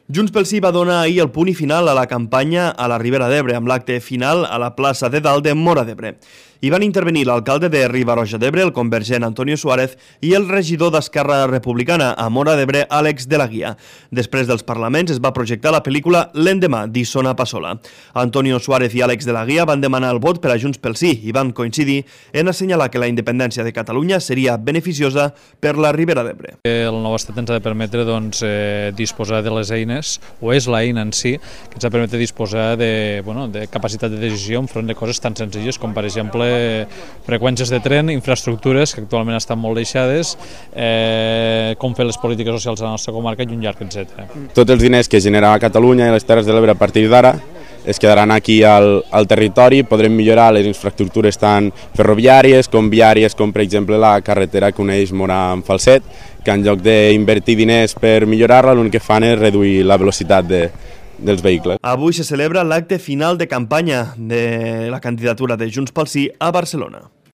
Junts pel Sí va donar ahir el punt i final a la campanya a la Ribera d'Ebre, amb l'acte final a la plaça de Dalt de Móra d'Ebre. Hi van intervenir l'alcalde de Riba-roja d'Ebre, el convergent Antonio Suárez, i el regidor d'Esquerra Republicana a Móra d'Ebre, Àlex de la Guia. Després dels parlaments es va projectar la pel·lícula L'endemà, d'Isona Passola. Antonio Suárez i Àlex de la Guia van demanar el vot per a Junts pel Sí i van coincidir en assenyalar que la independència de Catalunya seria beneficiosa per la Ribera d'Ebre. El nou estat ens ha de permetre disposar de les eines, o és l'eina en si, que ens ha de permetre disposar de capacitat de decisió enfront de coses tan senzilles com, per exemple, freqüències de tren, infraestructures que actualment estan molt deixades, com fer les polítiques socials a la nostra comarca i un llarg etc. Tots els diners que generava Catalunya i les Terres de l'Ebre a partir d'ara es quedaran aquí al territori, podrem millorar les infraestructures tant ferroviàries com viàries, com per exemple la carretera que uneix Móra amb Falset, que en lloc d'invertir diners per millorar-la, l'únic que fan és reduir la velocitat dels vehicles. Avui se celebra l'acte final de campanya de la candidatura de Junts pel Sí a Barcelona.